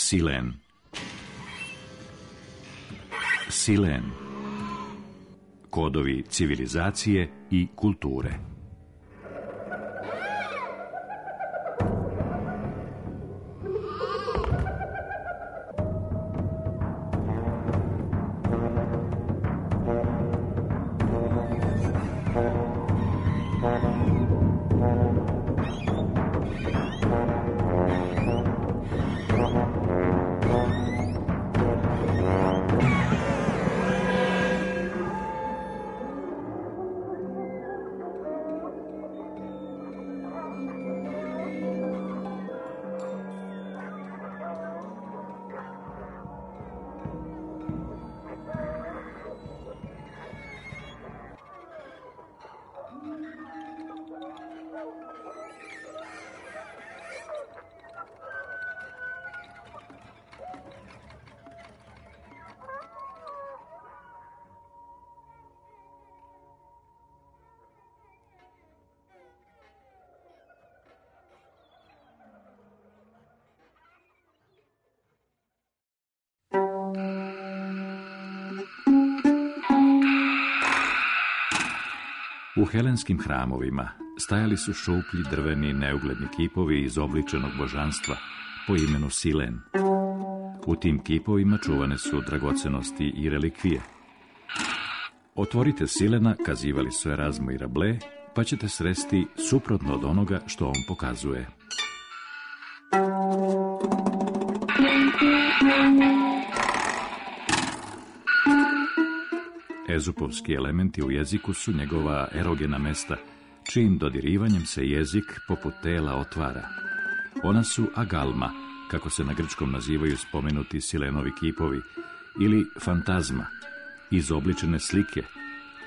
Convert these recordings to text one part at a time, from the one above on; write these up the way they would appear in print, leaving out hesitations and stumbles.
Silen. Silen. Kodovi civilizacije i kulture. U helenskim hramovima stajali su šuplji drveni neugledni kipovi izobličenog božanstva po imenu Silen. U tim kipovima čuvane su dragocenosti i relikvije. Otvorite Silena, kazivali su Erazmo i Rabelais, pa ćete sresti suprotno od onoga što on pokazuje. Ezupovski elementi u jeziku su njegova erogena mesta, čijim dodirivanjem se jezik poput tela otvara. Ona su agalma, kako se na grčkom nazivaju spomenuti Silenovi kipovi, ili fantazma, izobličene slike,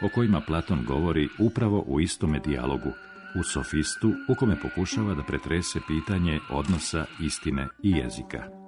o kojima Platon govori upravo u istome dijalogu, u Sofistu, u kome pokušava da pretrese pitanje odnosa istine i jezika.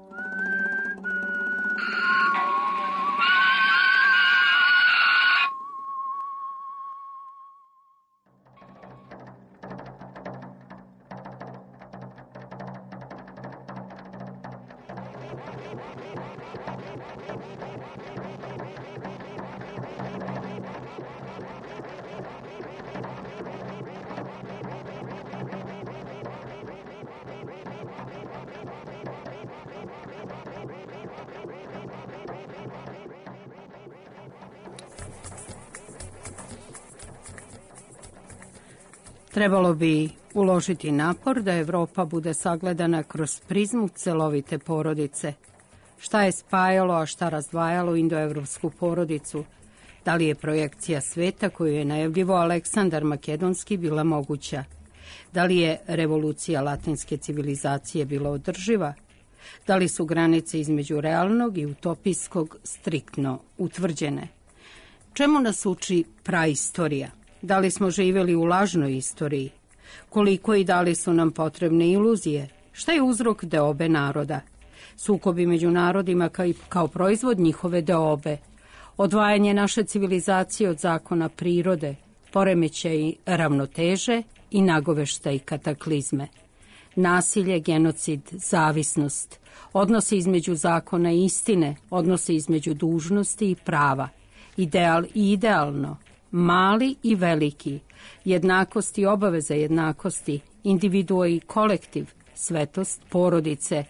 Trebalo bi uložiti napor da Evropa bude sagledana kroz prizmu celovite porodice. Šta je spajalo, a šta razdvajalo indoevropsku porodicu? Da li je projekcija sveta koju je najavljivo Aleksandar Makedonski bila moguća? Da li je revolucija latinske civilizacije bila održiva? Da li su granice između realnog i utopijskog striktno utvrđene? Čemu nas uči praistorija? Da li smo živjeli u lažnoj istoriji? Koliko i da li su nam potrebne iluzije? Šta je uzrok deobe naroda? Sukobi među narodima kao proizvod njihove deobe. Odvajanje naše civilizacije od zakona prirode, poremećaj ravnoteže i nagoveštaj kataklizme. Nasilje, genocid, zavisnost, odnosi između zakona i istine, odnosi između dužnosti i prava, ideal i idealno, mali i veliki, jednakost i obaveza jednakosti, individua i kolektiv, svetost porodice,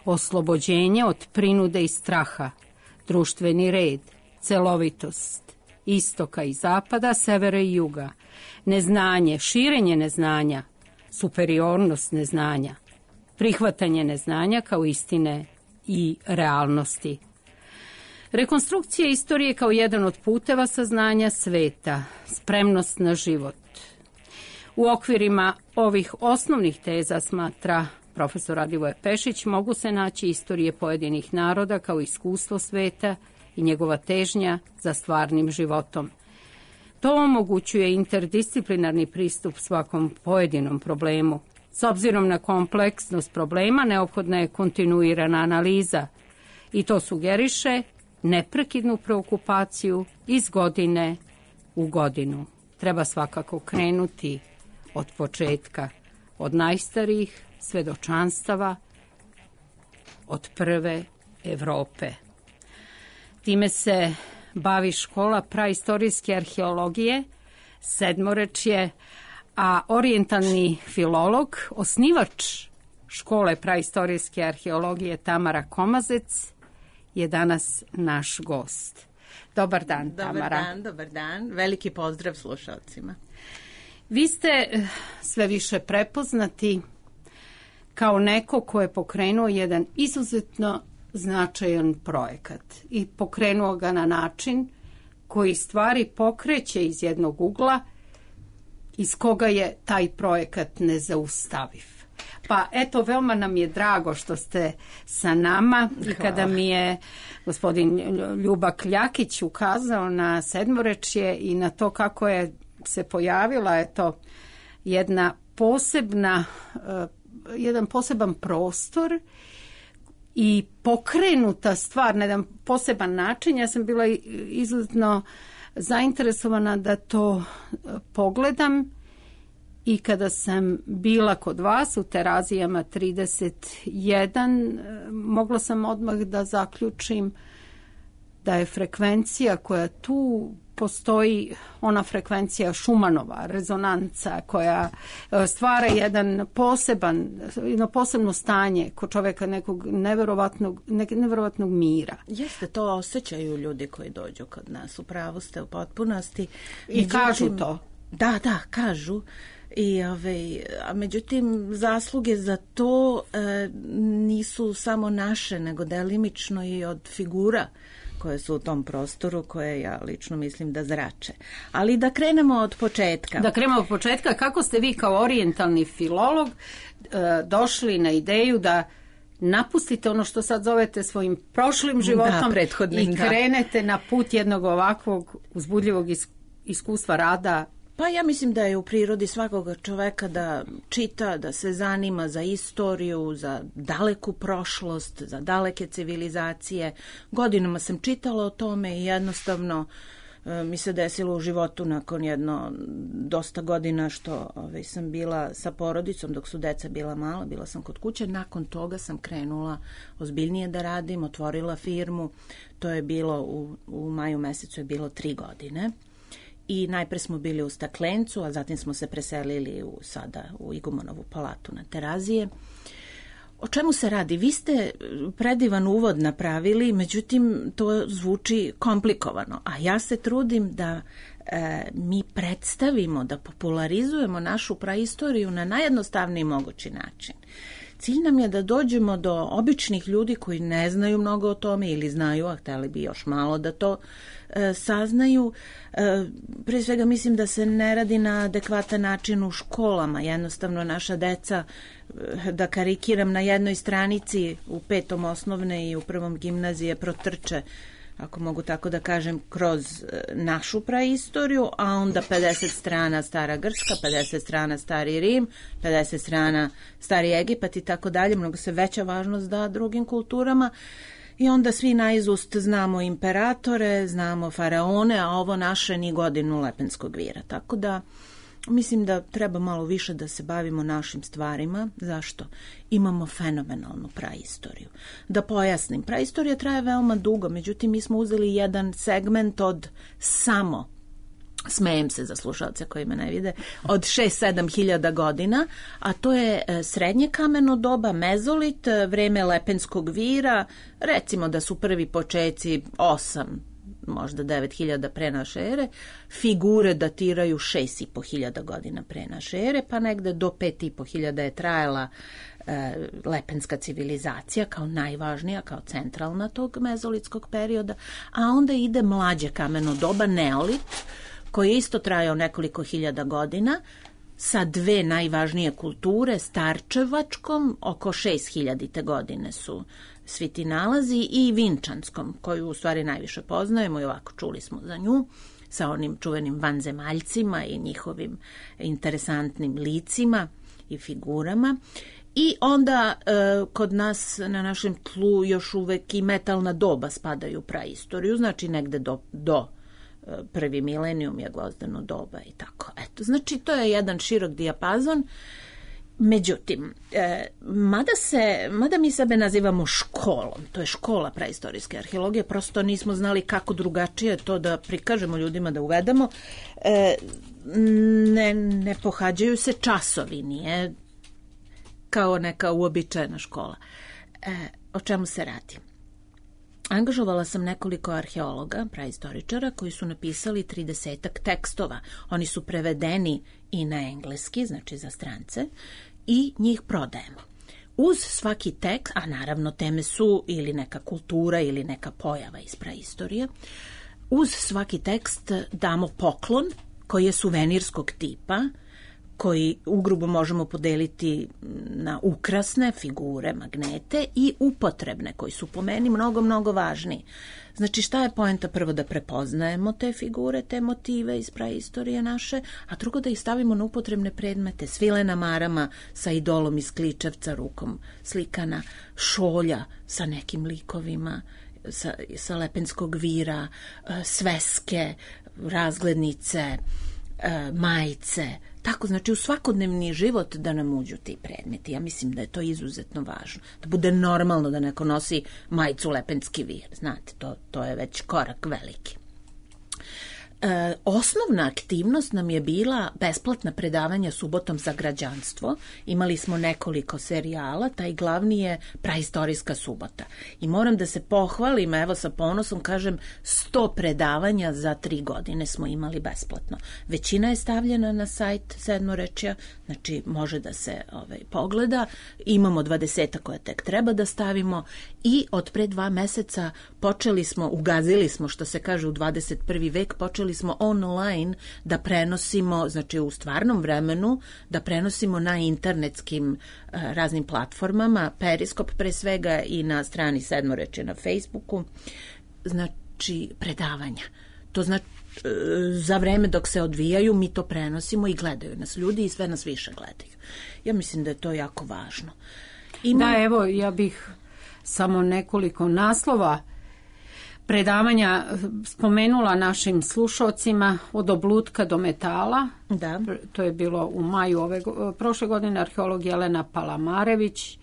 oslobođenje od prinude i straha, društveni red, celovitost, istoka i zapada, severa i juga, neznanje, širenje neznanja, superiornost neznanja, prihvatanje neznanja kao istine i realnosti. Rekonstrukcija istorije kao jedan od puteva saznanja sveta, spremnost na život. U okvirima ovih osnovnih teza, smatra profesor Radivoje Pešić, mogu se naći istorije pojedinih naroda kao iskustvo sveta i njegova težnja za stvarnim životom. To omogućuje interdisciplinarni pristup svakom pojedinom problemu. S obzirom na kompleksnost problema, neophodna je kontinuirana analiza i to sugeriše neprekidnu preokupaciju iz godine u godinu. Treba svakako krenuti od početka, od najstarijih svedočanstava, od prve Evrope. Time se bavi škola praistorijske arheologije, sedmorečje, a orijentalni filolog, osnivač škole praistorijske arheologije Tamara Komazec je danas naš gost. Dobar dan, Tamara. Dobar dan. Veliki pozdrav slušalcima. Vi ste sve više prepoznati kao neko ko je pokrenuo jedan izuzetno značajan projekat i pokrenuo ga na način koji stvari pokreće iz jednog ugla iz koga je taj projekat nezaustaviv. Pa eto, veoma nam je drago što ste sa nama i kada mi je gospodin Ljuba Kljakić ukazao na sedmorečje i na to kako je se pojavila jedan poseban prostor i pokrenuta stvar na jedan poseban način. Ja sam bila izuzetno zainteresovana da to pogledam i kada sam bila kod vas u Terazijama 31, mogla sam odmah da zaključim da je frekvencija koja tu postoji, ona frekvencija Šumanova, rezonanca koja stvara jedno posebno stanje kod čoveka nekog neverovatnog mira. Jeste, to osjećaju ljudi koji dođu kod nas, u pravu ste u potpunosti. I kažu to. Da, kažu. A međutim, zasluge za to nisu samo naše, nego delimično i od figura koje su u tom prostoru, koje ja lično mislim da zrače. Ali da krenemo od početka. Kako ste vi kao orijentalni filolog došli na ideju da napustite ono što sad zovete svojim prošlim životom i krenete na put jednog ovakvog uzbudljivog iskustva rada? Pa ja mislim da je u prirodi svakog čoveka da čita, da se zanima za istoriju, za daleku prošlost, za daleke civilizacije. Godinama sam čitala o tome i jednostavno mi se desilo u životu nakon dosta godina što sam bila sa porodicom dok su deca bila mala, bila sam kod kuće. Nakon toga sam krenula ozbiljnije da radim, otvorila firmu. To je bilo u maju mesecu, je bilo 3 godine. I najpre smo bili u Staklencu, a zatim smo se preselili sada u Igumonovu palatu na Terazije. O čemu se radi? Vi ste predivan uvod napravili, međutim to zvuči komplikovano, a ja se trudim da mi predstavimo, da popularizujemo našu praistoriju na najjednostavniji mogući način. Cilj nam je da dođemo do običnih ljudi koji ne znaju mnogo o tome ili znaju, a hteli bi još malo da to saznaju. Prije svega mislim da se ne radi na adekvatan način u školama. Jednostavno naša deca, da karikiram, na jednoj stranici u 5. osnovne i u 1. gimnazije protrče, ako mogu tako da kažem, kroz našu praistoriju, a onda 50 strana Stara Grčka, 50 strana Stari Rim, 50 strana Stari Egipat i tako dalje. Mnogo se veća važnost da drugim kulturama i onda svi naizust znamo imperatore, znamo faraone, a ovo naše ni godinu Lepenskog vira. Tako da mislim da treba malo više da se bavimo našim stvarima. Zašto? Imamo fenomenalnu praistoriju. Da pojasnim, praistorija traje veoma dugo, međutim mi smo uzeli jedan segment od samo, smejem se za slušalce koji me ne vide, od 6-7 hiljada godina, a to je srednje kameno doba, mezolit, vreme Lepenskog vira, recimo da su prvi počeci 8, možda 9.000 pre naše ere, figure datiraju 6.500 godina pre naše ere, pa negde do 5.500 je trajala Lepenska civilizacija kao najvažnija, kao centralna tog mezolitskog perioda, a onda ide mlađe kameno doba, neolit, koji je isto trajao nekoliko hiljada godina, sa 2 najvažnije kulture, starčevačkom, oko 6.000 godine su svi ti nalazi, i vinčanskom, koju u stvari najviše poznajemo i ovako čuli smo za nju, sa onim čuvenim vanzemaljcima i njihovim interesantnim licima i figurama. I onda kod nas na našem tlu još uvek i metalna doba spadaju u praistoriju, znači negde do prvi milenijum je gvozdeno doba i tako. Eto, znači to je jedan širok dijapazon Međutim, mada mi sebe nazivamo školom, to je škola praistorijske arheologije, prosto nismo znali kako drugačije to da prikažemo ljudima, da uvedemo, ne pohađaju se časovi, nije kao neka uobičajena škola. O čemu se radi? Angažovala sam nekoliko arheologa, praistoričara, koji su napisali 30-ak tekstova. Oni su prevedeni i na engleski, znači za strance, i njih prodajemo. Uz svaki tekst, a naravno teme su ili neka kultura ili neka pojava iz praistorije, uz svaki tekst damo poklon koji je suvenirskog tipa, koji ugrubo možemo podeliti na ukrasne figure, magnete i upotrebne, koji su po meni mnogo važniji. Znači, šta je poenta? Prvo da prepoznajemo te figure, te motive iz praistorije naše, a drugo da ih stavimo na upotrebne predmete, svilena marama sa idolom iz Kličevca, rukom slikana, šolja sa nekim likovima, sa Lepenskog vira, sveske, razglednice, majice, tako, znači u svakodnevni život da nam uđu ti predmeti. Ja mislim da je to izuzetno važno. Da bude normalno da neko nosi majicu Lepenski vir. Znate, to je već korak veliki. Osnovna aktivnost nam je bila besplatna predavanja subotom za građanstvo. Imali smo nekoliko serijala, taj glavni je Praistorijska subota. I moram da se pohvalim, evo sa ponosom kažem, 100 predavanja za 3 godine smo imali besplatno. Većina je stavljena na sajt Sedmorečja, znači može da se pogleda. Imamo 20 koje tek treba da stavimo i od pre 2 meseca ugazili smo, što se kaže u 21. vek, počeli smo online da prenosimo, znači u stvarnom vremenu, da prenosimo na internetskim raznim platformama, Periskop pre svega i na strani Sedmorečja na Facebooku, znači predavanja. To znači za vreme dok se odvijaju mi to prenosimo i gledaju nas ljudi i sve nas više gledaju. Ja mislim da je to jako važno. Da, evo, ja bih samo nekoliko naslova predavanja spomenula našim slušalcima, od oblutka do metala. Da. To je bilo u maju prošle godine, arheolog Jelena Palamarević.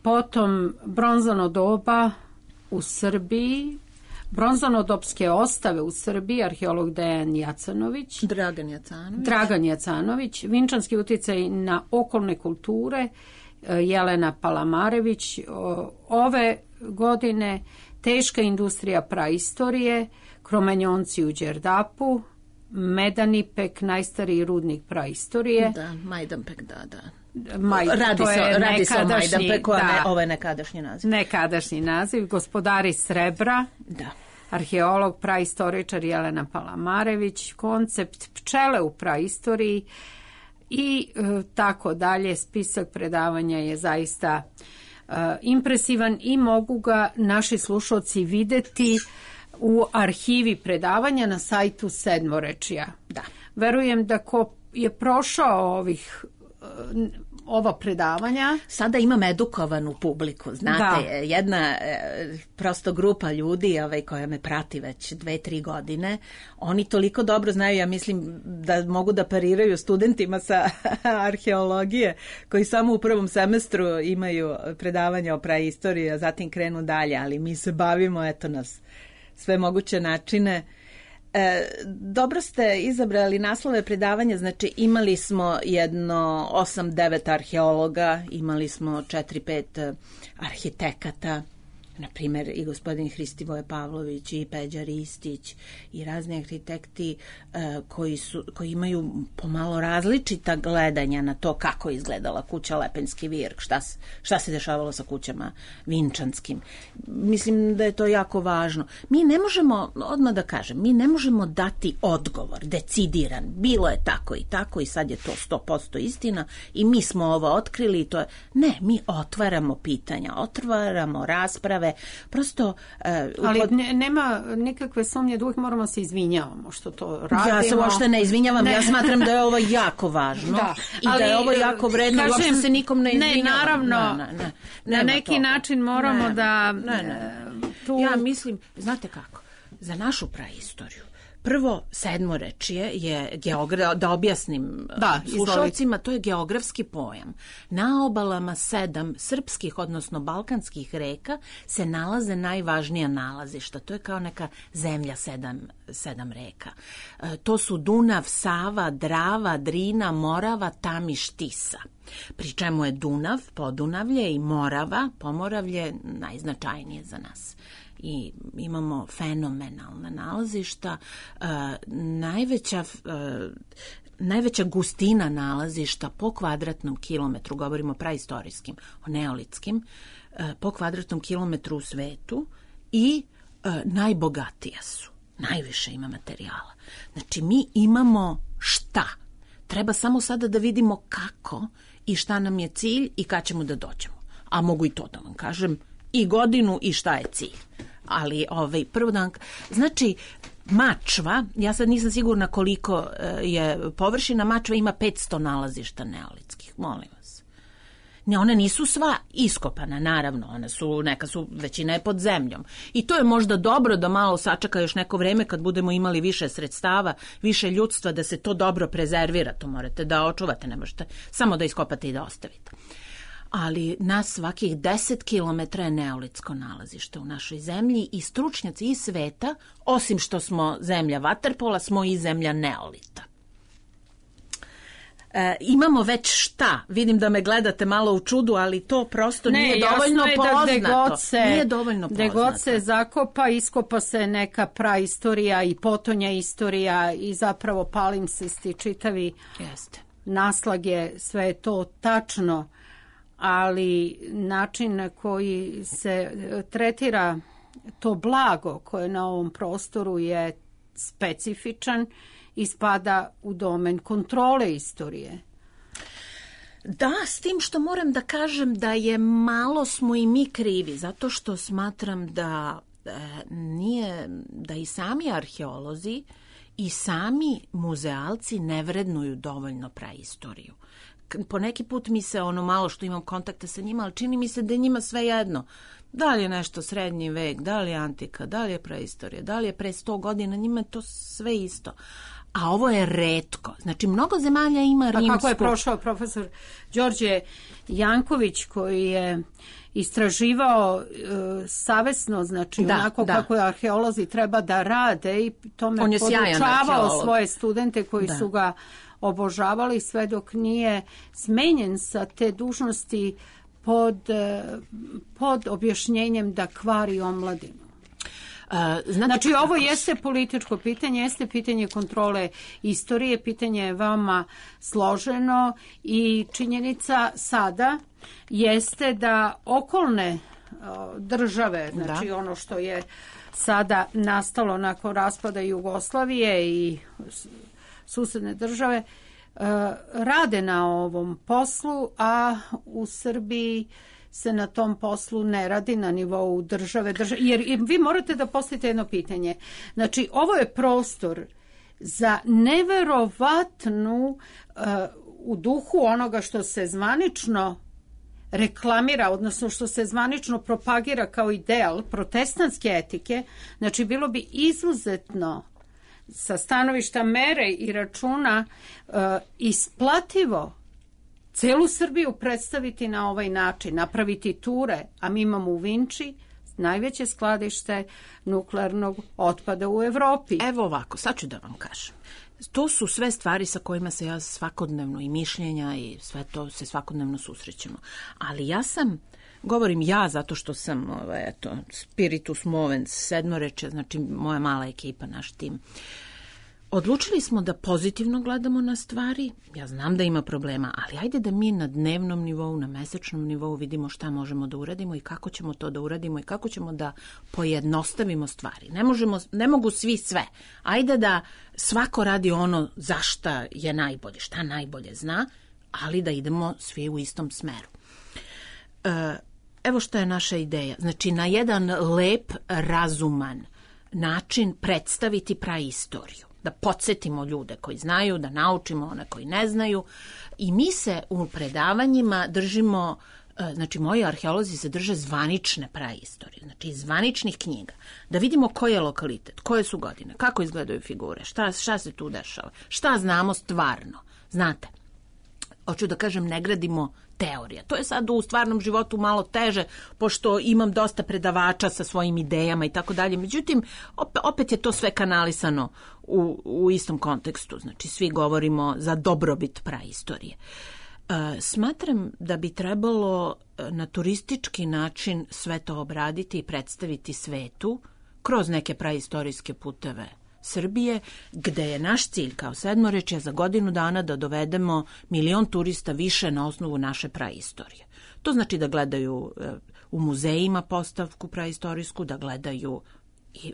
Potom bronzano doba u Srbiji, bronzanodopske ostave u Srbiji, arheolog Dragan Jacanović, Vinčanski uticaj na okolne kulture, Jelena Palamarević. Ove godine teška industrija praistorije, Kromanjonci u Đerdapu, Medanipek, najstariji rudnik praistorije. Da, Majdanpek, da. Radi se o Majdanpeku, ovo je nekadašnji naziv. Nekadašnji naziv, gospodari srebra, da. Arheolog, praistoričar Jelena Palamarević, koncept pčele u praistoriji i tako dalje. Spisak predavanja je zaista impresivan i mogu ga naši slušalci videti u arhivi predavanja na sajtu Sedmorečja. Da. Verujem da ko je prošao ova predavanja. Sada imam edukovanu publiku, znate, jedna prosto grupa ljudi koja me prati već 2-3 godine, oni toliko dobro znaju, ja mislim da mogu da pariraju studentima sa arheologije koji samo u prvom semestru imaju predavanja o praistoriji, a zatim krenu dalje, ali mi se bavimo, eto nas, sve moguće načine. Dobro ste izabrali naslove predavanja, znači imali smo jedno 8-9 arheologa, imali smo 4-5 arhitekata, na primjer i gospodin Hristivoje Pavlović i Peđa Ristić i razni arhitekti koji imaju pomalo različita gledanja na to kako je izgledala kuća Lepenski vir, šta se dešavalo sa kućama vinčanskim. Mislim da je to jako važno. Mi ne možemo, odmah da kažem, mi ne možemo dati odgovor decidiran. Bilo je tako i sad je to 100% istina i mi smo ovo otkrili i to je... Ne, mi otvaramo pitanja, otvaramo rasprave, prosto... Ali nema nikakve sumnje da uvijek moramo se izvinjavamo što to radimo. Ja se uopšte ne izvinjavam, ja smatram da je ovo jako važno i da je ovo jako vredno, uopšte se nikom ne izvinjavam. Ne, naravno, na neki način moramo da... Ja mislim, znate kako, za našu praistoriju, Prvo, sedmorečje je, da objasnim slušalcima, to je geografski pojam. Na obalama 7 srpskih, odnosno balkanskih reka se nalaze najvažnija nalazišta. To je kao neka zemlja 7 reka. To su Dunav, Sava, Drava, Drina, Morava, Tamiš, Tisa. Pri čemu je Dunav, Podunavlje i Morava, Pomoravlje najznačajnije za nas. I imamo fenomenalna nalazišta. Najveća gustina nalazišta po kvadratnom kilometru, govorimo o praistorijskim, o neolitskim, po kvadratnom kilometru u svetu i najbogatija su. Najviše ima materijala. Znači, mi imamo šta? Treba samo sada da vidimo kako i šta nam je cilj i kad ćemo da dođemo. A mogu i to da vam kažem, i godinu i šta je cilj. Ali prvo dan, znači Mačva, ja sad nisam sigurna koliko je površina, Mačva ima 500 nalazišta neolitskih, molim vas. Ne, one nisu sva iskopana, naravno, neka su, većina je pod zemljom. I to je možda dobro da malo sačeka još neko vreme kad budemo imali više sredstava, više ljudstva, da se to dobro prezervira, to morate da očuvate, ne možete samo da iskopate i da ostavite. Ali na svakih 10 kilometra je neolitsko nalazište u našoj zemlji i stručnjaci iz sveta, osim što smo zemlja vaterpola, smo i zemlja neolita. Imamo već šta? Vidim da me gledate malo u čudu, ali to prosto nije dovoljno poznato. Nije dovoljno poznato. Gde god se zakopa, iskopa se neka praistorija i potonja istorija i zapravo palimpsesti čitavi naslage, sve je to tačno, ali način na koji se tretira to blago koje na ovom prostoru je specifičan i spada u domen kontrole istorije. Da, s tim što moram da kažem da je malo smo i mi krivi, zato što smatram da i sami arheolozi i sami muzealci ne vrednuju dovoljno praistoriju. Po neki put mi se malo što imam kontakta sa njima, ali čini mi se da je njima sve jedno. Da li je nešto srednji vek, da li je antika, da li je praistorija, da li je pre 100 godina, njima je to sve isto. A ovo je retko. Znači, mnogo zemalja ima rimsku. Pa kako je prošao profesor Đorđe Janković koji je istraživao savesno, znači onako kako arheolozi treba da rade i tome podučavao svoje studente koji su ga obožavali sve dok nije smenjen sa te dužnosti pod objašnjenjem da kvari omladinu. Znači, ovo jeste političko pitanje, jeste pitanje kontrole istorije, pitanje je veoma složeno i činjenica sada jeste da okolne države, znači ono što je sada nastalo nakon raspada Jugoslavije i susedne države, rade na ovom poslu, a u Srbiji se na tom poslu ne radi na nivou države. Jer vi morate da postavite jedno pitanje. Znači, ovo je prostor za neverovatnu, u duhu onoga što se zvanično reklamira, odnosno što se zvanično propagira kao ideal protestantske etike, znači bilo bi izuzetno sa stanovišta mere i računa isplativo celu Srbiju predstaviti na ovaj način, napraviti ture, a mi imamo u Vinči najveće skladište nuklearnog otpada u Evropi. Evo ovako, sad ću da vam kažem. To su sve stvari sa kojima se ja svakodnevno i mišljenja i sve to se svakodnevno susrećemo. Ali govorim ja zato što sam spiritus movens, sedmoreče, znači moja mala ekipa, naš tim. Odlučili smo da pozitivno gledamo na stvari. Ja znam da ima problema, ali ajde da mi na dnevnom nivou, na mesečnom nivou vidimo šta možemo da uradimo i kako ćemo to da uradimo i kako ćemo da pojednostavimo stvari. Ne mogu svi sve. Ajde da svako radi ono za šta je najbolje, šta najbolje zna, ali da idemo svi u istom smeru. Evo šta je naša ideja. Znači, na jedan lep, razuman način predstaviti praistoriju. Da podsjetimo ljude koji znaju, da naučimo one koji ne znaju. I mi se u predavanjima držimo Znači, moji arheolozi se drže zvanične praistorije, znači iz zvaničnih knjiga, da vidimo koji je lokalitet, koje su godine, kako izgledaju figure, šta se tu dešava, šta znamo stvarno. Znate, hoću da kažem, ne gradimo teorija. To je sad u stvarnom životu malo teže, pošto imam dosta predavača sa svojim idejama i tako dalje. Međutim, opet je to sve kanalisano u istom kontekstu. Znači, svi govorimo za dobrobit praistorije. Smatram da bi trebalo na turistički način sve to obraditi i predstaviti svetu kroz neke praistorijske puteve Srbije, gde je naš cilj kao Sedmorečje za godinu dana da dovedemo 1.000.000 turista više na osnovu naše praistorije. To znači da gledaju u muzejima postavku praistorijsku, da gledaju.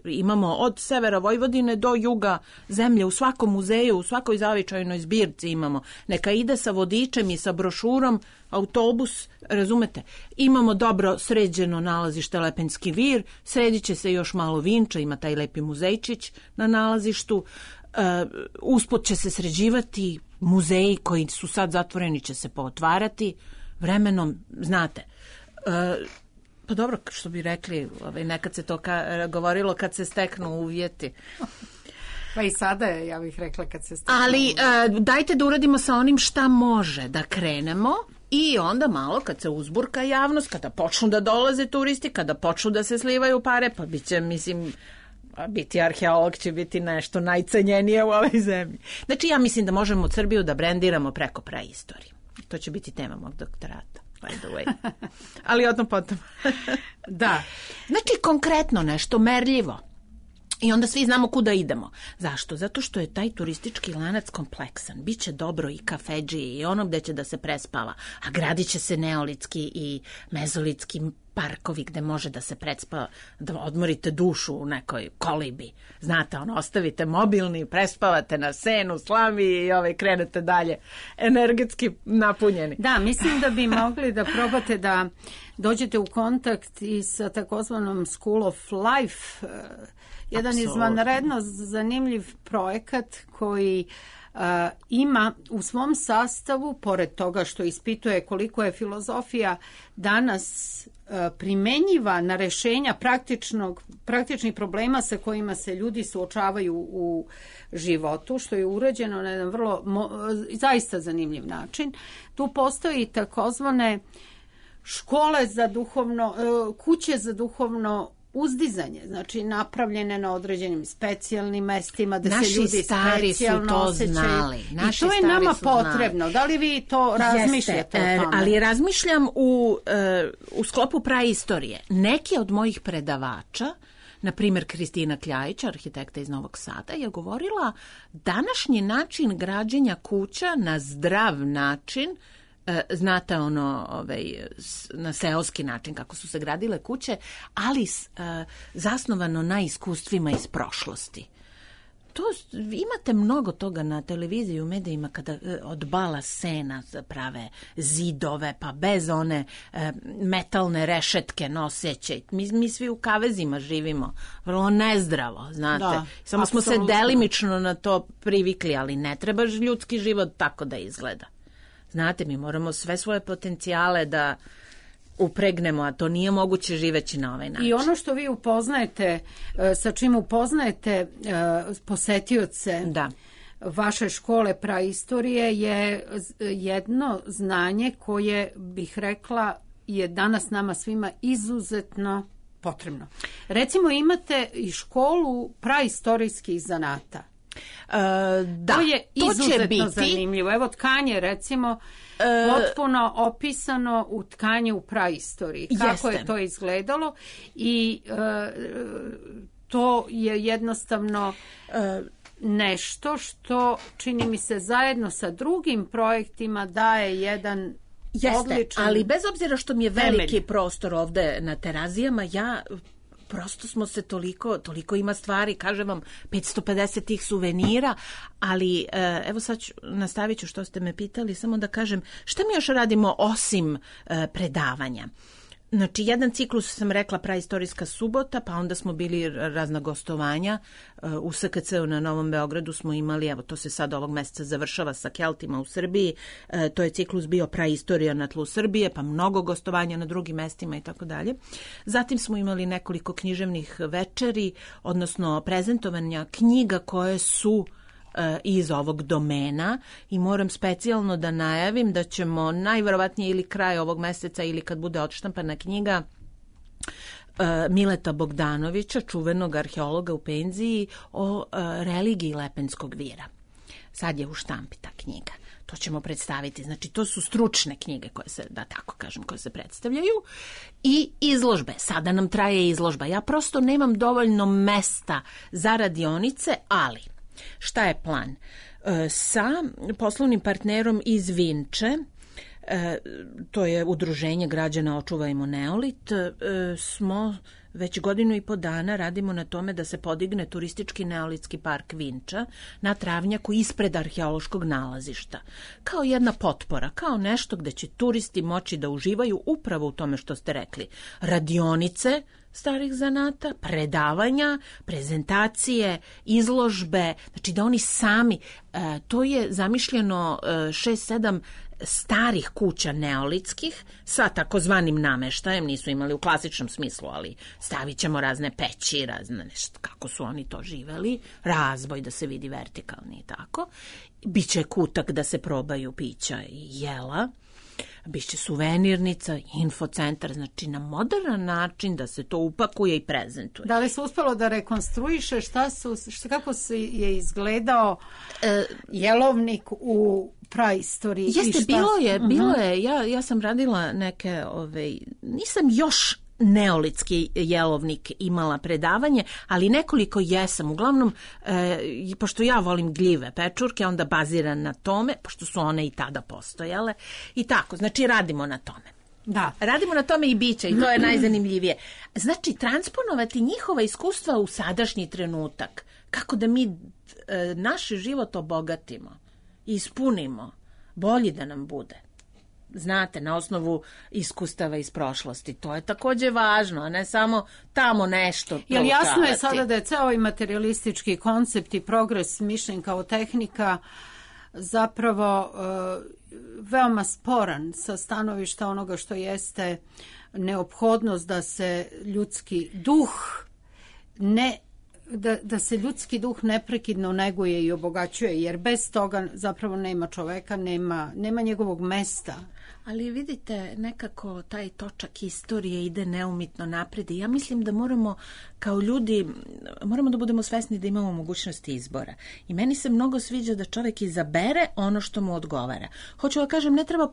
Imamo od severa Vojvodine do juga zemlje, u svakom muzeju, u svakoj zavičajnoj zbirci imamo. Neka ide sa vodičem i sa brošurom, autobus, razumete? Imamo dobro sređeno nalazište Lepenski vir, sredit će se još malo Vinča, ima taj lepi muzejčić na nalazištu. Usput će se sređivati muzeji koji su sad zatvoreni, će se pootvarati vremenom, znate. Pa dobro, što bi rekli, nekad se to govorilo kad se steknu uvjeti. Pa i sada je, ja bih rekla, kad se steknu uvjeti. Ali dajte da uradimo sa onim šta može, da krenemo i onda malo kad se uzburka javnost, kada počnu da dolaze turisti, kada počnu da se slivaju pare, pa bit će, mislim, biti arheolog će biti nešto najcenjenije u ovoj zemlji. Znači, ja mislim da možemo Srbiju da brendiramo preko praistorije. To će biti tema mog doktorata. By the way. Ali odno potom. Da. Znači, konkretno nešto, merljivo. I onda svi znamo kuda idemo. Zašto? Zato što je taj turistički lanac kompleksan. Biće dobro i kafedži i ono gde će da se prespava. A gradit će se neolitski i mezolitski parkovi gde može da se prespava, da odmorite dušu u nekoj kolibi. Znate, ostavite mobilni, prespavate na senu, slami i krenete dalje energetski napunjeni. Da, mislim da bi mogli da probate da dođete u kontakt i sa takozvanom School of Life, jedan izvanredno zanimljiv projekat koji ima u svom sastavu, pored toga što ispituje koliko je filozofija danas primenjiva na rešenja praktičnih problema sa kojima se ljudi suočavaju u životu, što je urađeno na jedan vrlo zaista zanimljiv način. Tu postoji takozvane škole za duhovno, kuće za duhovno uzdizanje, znači napravljene na određenim specijalnim mestima da naši se ljudi specijalno osjećaju. I to je nama potrebno. Da li vi to razmišljate o tome? Ali razmišljam u sklopu praistorije. Neki od mojih predavača, na primjer Kristina Kljajić, arhitekta iz Novog Sada, je govorila današnji način građenja kuća na zdrav način, znate na seoski način kako su se gradile kuće, ali zasnovano na iskustvima iz prošlosti. To imate mnogo toga na televiziji, u medijima, kada od bala sena prave zidove, pa bez one metalne rešetke noseće. Mi svi u kavezima živimo, vrlo nezdravo, znate. Da, samo smo se delimično na to privikli, ali ne treba ljudski život tako da izgleda. Znate, mi moramo sve svoje potencijale da upregnemo, a to nije moguće živeći na ovaj način. I ono što vi upoznajete, sa čim upoznajete posetioce vaše škole praistorije je jedno znanje koje, bih rekla, je danas nama svima izuzetno potrebno. Recimo, imate i školu praistorijskih zanata. To je izuzetno zanimljivo. Evo tkanje, recimo, potpuno opisano u tkanje u praistoriji. Kako je to izgledalo i to je jednostavno nešto što, čini mi se, zajedno sa drugim projektima daje jedan odličan ali bez obzira što mi je veliki prostor ovde na Terazijama, prosto smo se toliko ima stvari, kažem vam, 550 tih suvenira, ali evo sad nastavit ću što ste me pitali, samo da kažem, šta mi još radimo osim predavanja? Znači, jedan ciklus sam rekla Praistorijska subota, pa onda smo bili razna gostovanja. U SKC-u na Novom Beogradu smo imali, evo to se sad ovog meseca završava sa Keltima u Srbiji, to je ciklus bio Praistorija na tlu Srbije, pa mnogo gostovanja na drugim mestima i tako dalje. Zatim smo imali nekoliko književnih večeri, odnosno prezentovanja knjiga koje su iz ovog domena i moram specijalno da najavim da ćemo najverovatnije ili kraj ovog meseca ili kad bude odštampana knjiga Mileta Bogdanovića, čuvenog arheologa u penziji, o religiji Lepenskog vira. Sad je u štampi ta knjiga. To ćemo predstaviti. Znači, to su stručne knjige koje se, da tako kažem, koje se predstavljaju. I izložbe. Sada nam traje izložba. Ja prosto nemam dovoljno mesta za radionice, ali šta je plan? Sa poslovnim partnerom iz Vinče, to je Udruženje građana Očuvajmo Neolit, smo već 1.5 godina radimo na tome da se podigne turistički neolitski park Vinča na travnjaku ispred arheološkog nalazišta. Kao jedna potpora, kao nešto gde će turisti moći da uživaju upravo u tome što ste rekli. Radionice starih zanata, predavanja, prezentacije, izložbe, znači da oni sami, to je zamišljeno 6-7 starih kuća neolitskih sa takozvanim nameštajem, nisu imali u klasičnom smislu, ali stavit ćemo razne peći, razne nešto, kako su oni to živeli, razboj da se vidi vertikalni i tako. Biće kutak da se probaju pića i jela, biće suvenirnica, infocentar, znači na modern način da se to upakuje i prezentuje. Da li se uspelo da rekonstruiše kako je izgledao jelovnik u praistoriji? Jeste, bilo je. Ja sam radila neke, nisam još neolitski jelovnik imala predavanje, ali nekoliko jesam. Uglavnom, pošto ja volim gljive pečurke, onda baziran na tome, pošto su one i tada postojale. I tako, znači radimo na tome. Da. Radimo na tome i biće, i to je najzanimljivije. Znači, transponovati njihova iskustva u sadašnji trenutak. Kako da mi naš život obogatimo, ispunimo, bolji da nam bude. Znate, na osnovu iskustava iz prošlosti. To je takođe važno, a ne samo tamo nešto. Jel jasno je sada da je ceo ovaj materialistički koncept i progres mišljen kao tehnika zapravo veoma sporan sa stanovišta onoga što jeste neophodnost da se ljudski duh da se ljudski duh neprekidno neguje i obogaćuje, jer bez toga zapravo nema čoveka, nema njegovog mesta. Ali vidite, nekako taj točak istorije ide neumitno napred i ja mislim da moramo kao ljudi, moramo da budemo svesni da imamo mogućnosti izbora. I meni se mnogo sviđa da čovek izabere ono što mu odgovara. Hoću da kažem, ne treba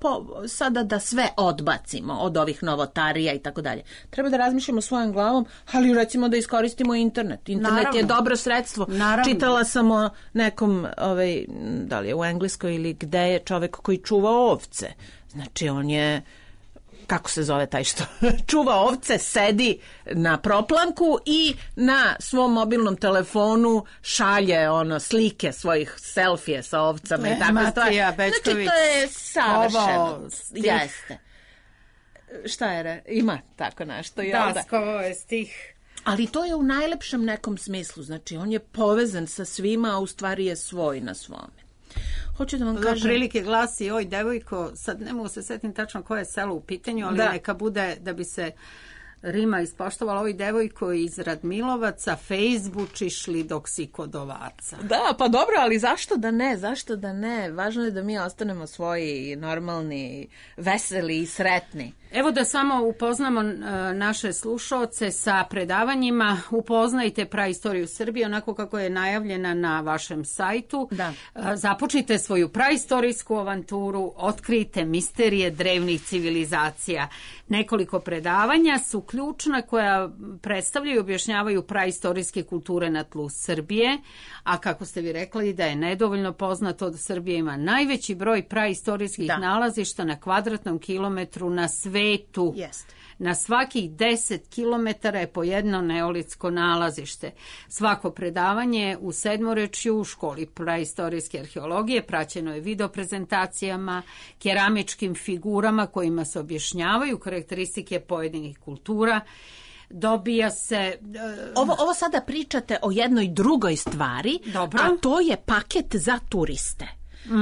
sada da sve odbacimo od ovih novotarija i tako dalje. Treba da razmišljamo svojom glavom, ali recimo da iskoristimo internet. Internet Naravno. Je dobro sredstvo. Naravno. Čitala sam o nekom, da li je u Engleskoj ili gde je čovek koji čuva ovce. Znači, on je, kako se zove taj što čuva ovce, sedi na proplanku i na svom mobilnom telefonu šalje slike svojih selfije sa ovcama i tako stvari. Znači, to je savršeno. Jeste. Šta je? Ima tako nešto. Da, skovo je stih. Ali to je u najlepšem nekom smislu. Znači, on je povezan sa svima, a u stvari je svoj na svome. Hoću da vam kažem... Prilike glasi, oj devojko, sad ne mogu se setim tačno koje je selo u pitanju, ali neka bude da bi se rima ispoštovala, oj devojko iz Radmilovaca, Fejsbučiš li dok si kod ovaca. Da, pa dobro, ali zašto da ne? Važno je da mi ostanemo svoji, normalni, veseli i sretni. Evo da samo upoznamo naše slušaoce sa predavanjima. Upoznajte praistoriju Srbije onako kako je najavljena na vašem sajtu. Da. Započnite svoju praistorijsku avanturu, otkrijte misterije drevnih civilizacija. Nekoliko predavanja su ključna koja predstavljaju i objašnjavaju praistorijske kulture na tlu Srbije, a kako ste vi rekli da je nedovoljno poznato da Srbija ima najveći broj praistorijskih nalazišta na kvadratnom kilometru na svetu. Na svakih 10 km je po jedno neolitsko nalazište. Svako predavanje u sedmorečju u školi praistorijske arheologije praćeno je videoprezentacijama, keramičkim figurama kojima se objašnjavaju karakteristike pojedinih kultura. Dobija se... Ovo sada pričate o jednoj drugoj stvari, a to je paket za turiste.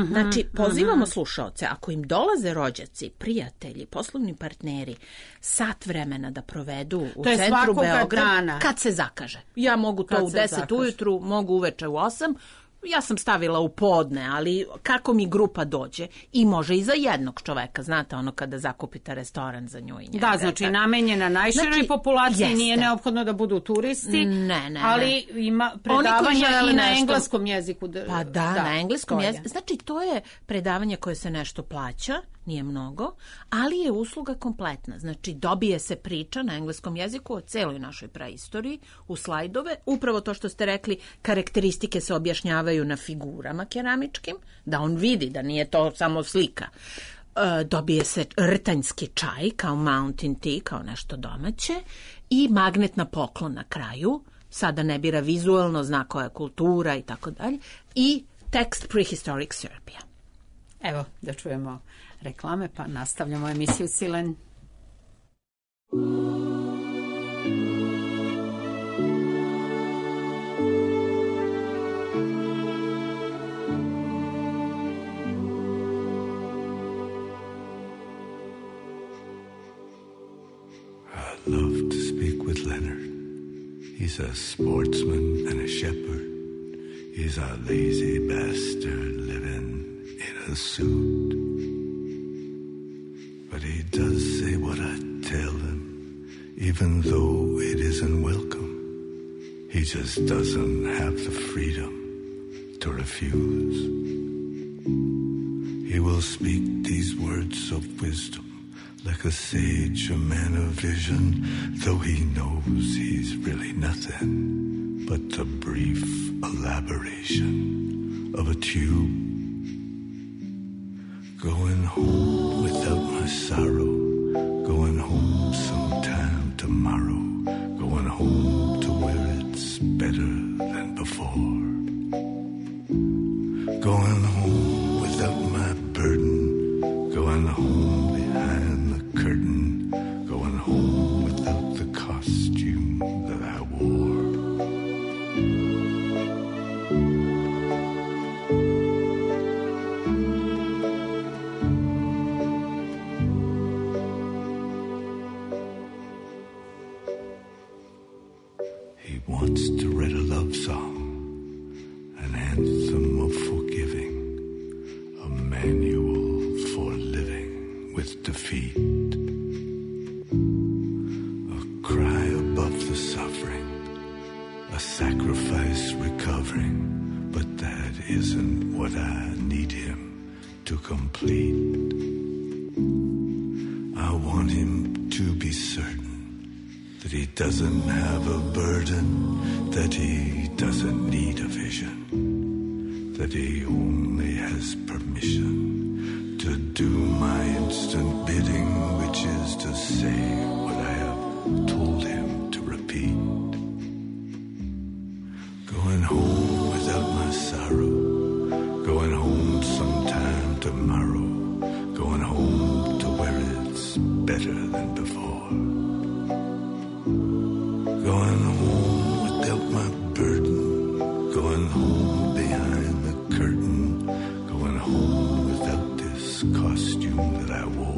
Znači, pozivamo slušaoce, ako im dolaze rođaci, prijatelji, poslovni partneri, sat vremena da provedu u centru Beograda, kad se zakaže. Ja mogu to u 10 ujutru, mogu uveče u 8, ja sam stavila u podne, ali kako mi grupa dođe, i može i za jednog čoveka, znate, ono kada zakupite restoran za nju i njega. Da, znači namenjena najširoj populaciji, nije neophodno da budu turisti, ali ima predavanja i na engleskom jeziku. Pa da, na engleskom jeziku. Znači, to je predavanje koje se nešto plaća, nije mnogo, ali je usluga kompletna. Znači, dobije se priča na engleskom jeziku o celoj našoj praistoriji, u slajdove. Upravo to što ste rekli, karakteristike se objašnjavaju na figurama keramičkim, da on vidi da nije to samo slika. Dobije se rtanjski čaj kao Mountain Tea, kao nešto domaće, i magnetna poklon na kraju. Sada ne bira vizualno, zna koja je kultura i tako dalje. I tekst Prehistoric Serbia. Evo, da čujemo reklame, pa nastavljamo emisiju Silen. I'd love to speak with Leonard. He's a sportsman and a shepherd. He's a lazy bastard living in a suit. But he does say what I tell him, even though it isn't welcome. He just doesn't have the freedom to refuse. He will speak these words of wisdom like a sage, a man of vision, though he knows he's really nothing but the brief elaboration of a tube. Going home without my sorrow, going home sometime tomorrow, going home to where it's better than before. Going home without my burden, going home behind the curtain, going home without the costume that I wore. Wants to write a love song, an anthem of forgiving, a manual for living with defeat, a cry above the suffering, a sacrifice recovering, but that isn't what I need him to complete. I want him to be certain that he doesn't have a burden, that he doesn't need a vision, that he only has permission to do my instant bidding, which is to say what I have told him to repeat. Going home without my sorrow, going home sometime tomorrow, going home to where it's better than before. Going home without my burden, going home behind the curtain, going home without this costume that I wore.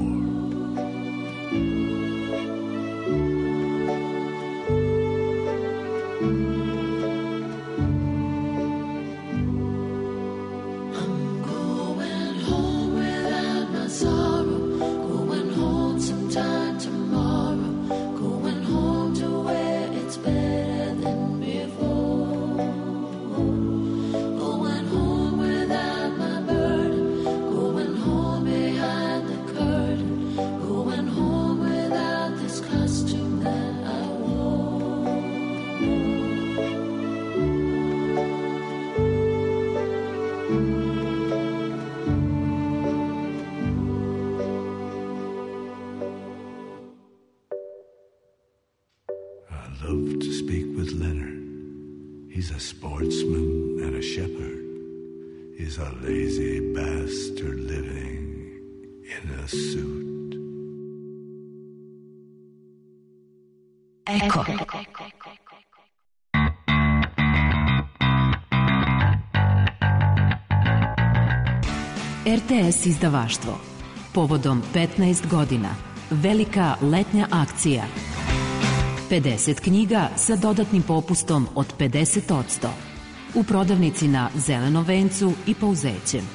Going home behind the curtain. love to speak with Leonard. He's a sportsman and a shepherd. He's a lazy bastard living in a suit. Eko. RTS izdavaštvo. Povodom 15 godina. Velika letnja akcija. 50 knjiga sa dodatnim popustom od 50%. U prodavnici na Zelenom vencu i Pouzećem.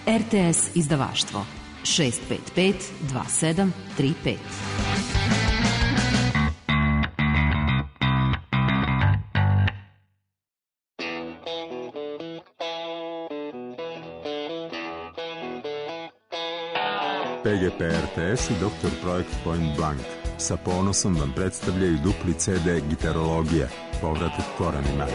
RTS izdavaštvo. 655 2735. PGP RTS i Dr. Projekt Point Blank sa ponosom vam predstavljaju dupli CD Gitarologija, povratak korenima.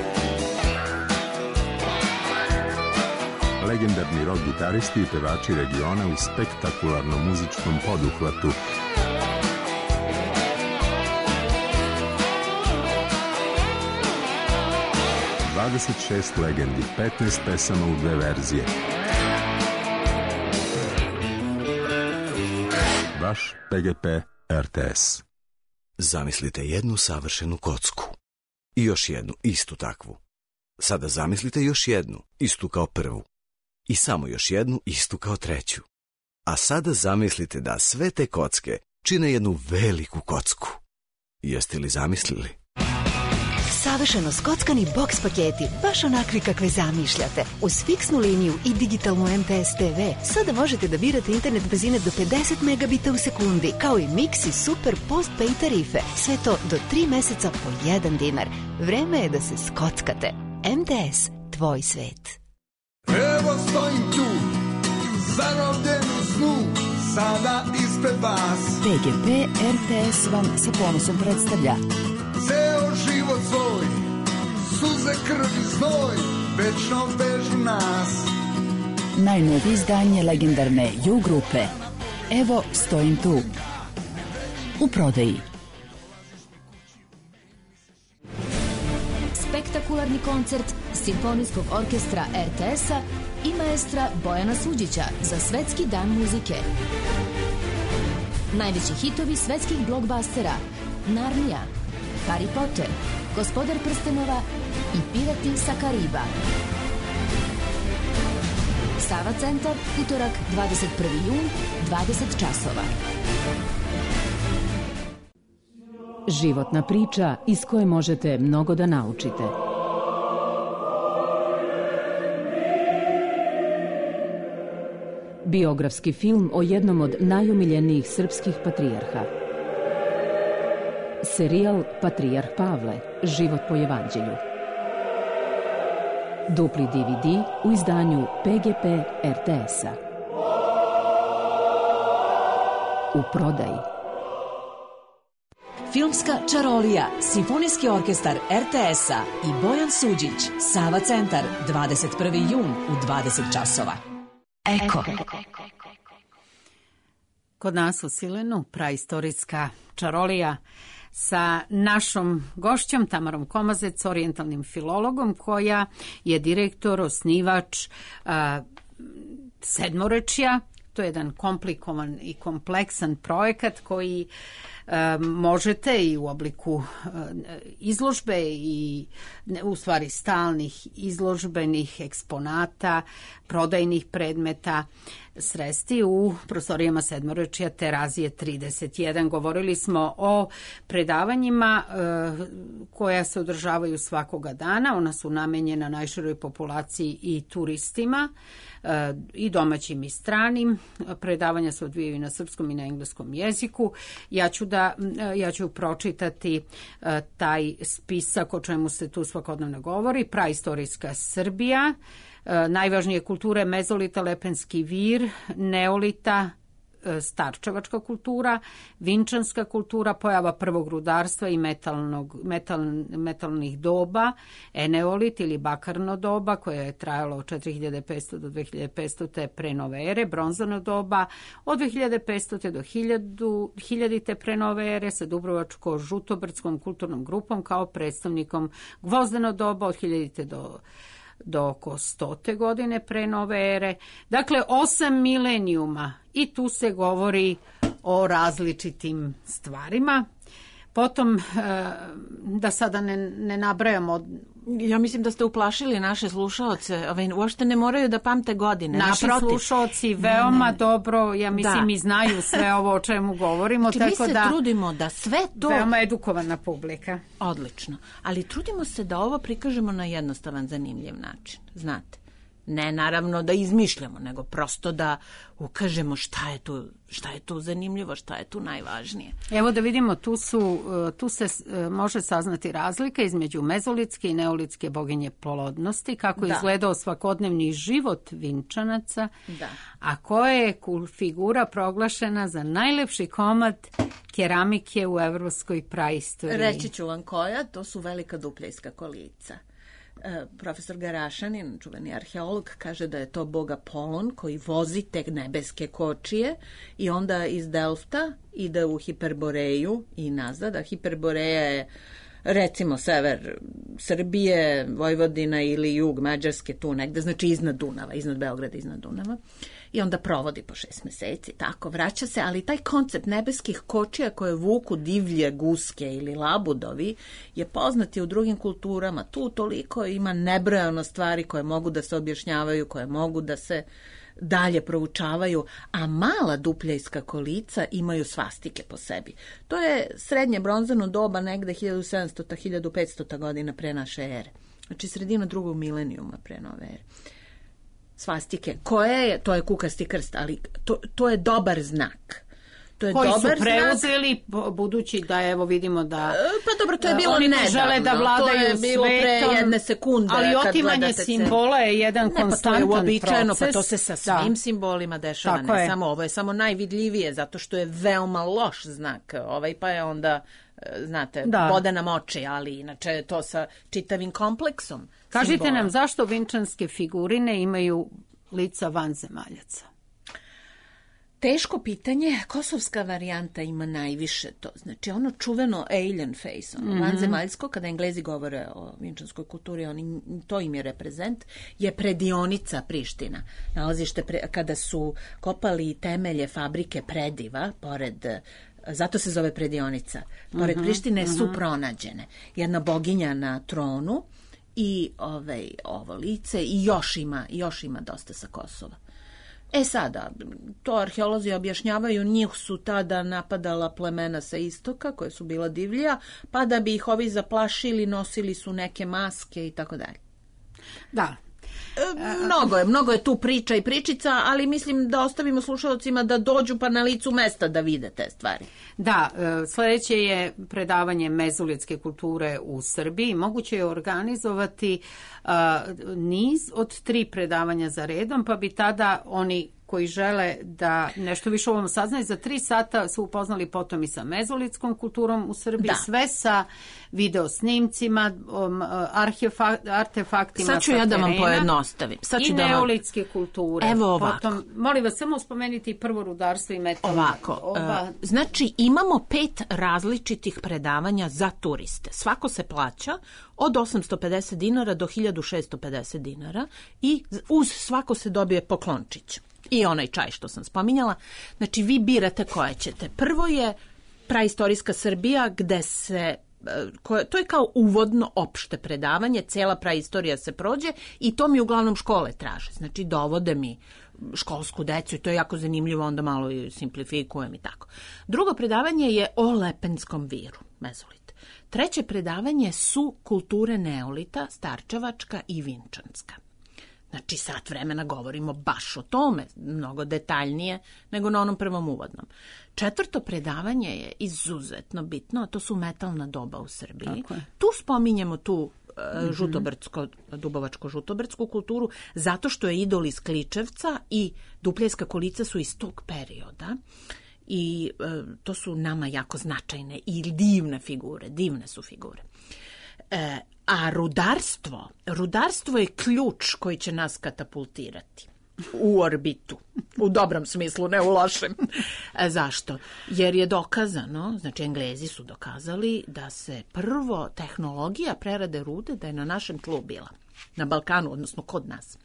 Legendarni rock gitaristi i pevači regiona u spektakularnom muzičkom poduhvatu. ...26 legendi, 15 pesama u 2 verzije. Vaš PGP RTS. Zamislite jednu savršenu kocku. I još jednu, istu takvu. Sada zamislite još jednu, istu kao prvu. I samo još jednu, istu kao treću. A sada zamislite da sve te kocke čine jednu veliku kocku. Jeste li zamislili? Savršeno skockani boks paketi, baš onakvi kakve zamišljate. Uz fiksnu liniju i digitalnu MTS TV, sada možete da birate internet brzine do 50 megabita u sekundi, kao i mix i super postpaid tarife. Sve to do 3 meseca po 1 dinar. Vreme je da se skockate. MTS, tvoj svet. Evo stojim tu, zarobljen u snu, sada ispred vas. PGP RTS vam sa ponosom predstavlja Ceo život svoj, suze, krv i znoj, večno vežu nas. najnovije izdanje legendarne U grupe. Evo stojim tu. U prodaji. Spektakularni koncert Simfonijskog orkestra RTS-a i maestra Bojana Suđića za Svetski dan muzike. Najveći hitovi svetskih blockbustera: Narnija, Harry Potter, Gospodar prstenova i Pirati sa Kariba. Sava centar, utorak 21. jun, 20 časova. Životna priča iz koje možete mnogo da naučite. Biografski film o jednom od najomiljenijih srpskih patrijarha. Serijal Patrijarh Pavle, život po evanđelju. Dupli DVD u izdanju PGP RTS-a. U prodaji. Filmska čarolija, Simfonijski orkestar RTS-a i Bojan Suđić, Sava centar, 21. jun u 20 časova. Eko. Kod nas u Silenu praistorijska čarolija sa našom gošćom Tamarom Komazec, orijentalnim filologom, koja je direktor, osnivač Sedmorečja. To je jedan komplikovan i kompleksan projekat koji možete i u obliku izložbe i u stvari stalnih izložbenih eksponata, prodajnih predmeta sresti u prostorijama Sedmorečja Terazije 31. Govorili smo o predavanjima koja se održavaju svakoga dana. Ona su namenjena najširoj populaciji i turistima, i domaćim i stranim. Predavanja se odvijaju na srpskom i na engleskom jeziku. Ja ću pročitati taj spisak o čemu se tu svakodnevno govori. Praistorijska Srbija, najvažnije kulture mezolita, Lepenski vir, neolita, starčevačka kultura, vinčanska kultura, pojava prvog rudarstva i metalnih doba, eneolit ili bakarno doba koje je trajalo od 4500 do 2500 te pre nove ere, bronzano doba od 2500 do 1000 pre nove ere sa Dubrovačko-žutobrdskom kulturnom grupom kao predstavnikom gvozdeno doba od 1000 do oko 100. godine pre nove ere. Dakle, 8 milenijuma i tu se govori o različitim stvarima. Potom, da sada ne nabrajamo... Ja mislim da ste uplašili naše slušaoce. Uopšte ne moraju da pamte godine. Naši slušaoci veoma dobro, ja mislim, i znaju sve ovo o čemu govorimo. Znači, mi se trudimo da sve to... Veoma edukovana publika. Odlično. Ali trudimo se da ovo prikažemo na jednostavan, zanimljiv način. Znate. Ne naravno da izmišljamo, nego prosto da ukažemo šta je tu zanimljivo, šta je tu najvažnije. Evo da vidimo, tu se može saznati razlika između mezolitske i neolitske boginje plodnosti, kako je izgledao svakodnevni život Vinčanaca, a koja je figura proglašena za najlepši komad keramike u evropskoj praistoriji. Reći ću vam koja, to su velika dupljejska kolica. Profesor Garašanin, čuveni arheolog, kaže da je to bog Apolon koji vozi te nebeske kočije i onda iz Delfta ide u Hiperboreju i nazad, a Hiperboreja je recimo sever Srbije, Vojvodina ili jug Mađarske, tu negde, znači iznad Dunava, iznad Beograda, iznad Dunava. I onda provodi po 6 meseci, tako, vraća se, ali taj koncept nebeskih kočija koje vuku divlje guske ili labudovi je poznat i u drugim kulturama. Tu toliko ima nebrojano stvari koje mogu da se objašnjavaju, koje mogu da se dalje proučavaju, a mala dupljejska kolica imaju svastike po sebi. To je srednje bronzano doba, negde 1700. 1500. godina pre naše ere. Znači sredina drugog milenijuma pre nove ere. Svastike. To je kukasti krst, ali to je dobar znak. Koji su preuzeli, budući da evo vidimo da pa dobro, to je bilo oni ne žele da vladaju svetom. To je bilo pre jedne sekunde. Ali otimanje simbola je jedan konstantan proces. To je uobičajeno, pa to se sa svim simbolima dešava. Ne samo ovo je samo najvidljivije, zato što je veoma loš znak. Pa je onda, znate, voda nam oči, ali inače to sa čitavim kompleksom. Kažite nam zašto vinčanske figurine imaju lica vanzemaljaca? Teško pitanje, kosovska varijanta ima najviše to. Znači ono čuveno alien face, vanzemaljsko, kada Englezi govore o vinčanskoj kulturi, to im je reprezent, je predionica Priština. Nalazište kada su kopali temelje fabrike Prediva, zato se zove predionica. Pored Prištine su pronađene jedna boginja na tronu i ovo lice i još ima dosta sa Kosova. Sada, to arheolozi objašnjavaju, njih su tada napadala plemena sa istoka, koje su bila divlja, pa da bi ih ovi zaplašili, nosili su neke maske i tako dalje. Da. Mnogo je tu priča i pričica, ali mislim da ostavimo slušalcima da dođu pa na licu mesta da vide te stvari. Da, sledeće je predavanje mezolitske kulture u Srbiji. Moguće je organizovati niz od 3 predavanja za redom, pa bi tada oni koji žele da nešto više o ovom saznaju, za 3 sata su upoznali potom i sa mezolitskom kulturom u Srbiji, sve sa videosnimcima, artefaktima. Sad ću ja da vam pojednostavim. I neolitske kulture. Evo ovako. Potom, molim vas, samo spomenuti prvo rudarstvo i metalno. Ovako, znači imamo 5 različitih predavanja za turiste. Svako se plaća od 850 dinara do 1650 dinara i uz svako se dobije poklončić. I onaj čaj što sam spominjala. Znači, vi birate koje ćete. Prvo je praistorijska Srbija, gde se... to je kao uvodno opšte predavanje, cela praistorija se prođe i to mi uglavnom škole traže. Znači, dovode mi školsku decu i to je jako zanimljivo, onda malo i simplifikujem i tako. Drugo predavanje je o Lepenskom viru, mezolit. Treće predavanje su kulture neolita, starčevačka i vinčanska. Znači, sat vremena govorimo baš o tome, mnogo detaljnije nego na onom prvom uvodnom. Četvrto predavanje je izuzetno bitno, a to su metalna doba u Srbiji. Tu spominjemo tu dubovačko-žutobrdsku kulturu, zato što je idol iz Kličevca i Dupljevska kolica su iz tog perioda. I to su nama jako značajne i divne su figure. A rudarstvo je ključ koji će nas katapultirati u orbitu, u dobrom smislu, ne u lošem. Zašto? Jer je dokazano, znači Englezi su dokazali da se prvo tehnologija prerade rude da je na našem tlu bila, na Balkanu, odnosno kod nas.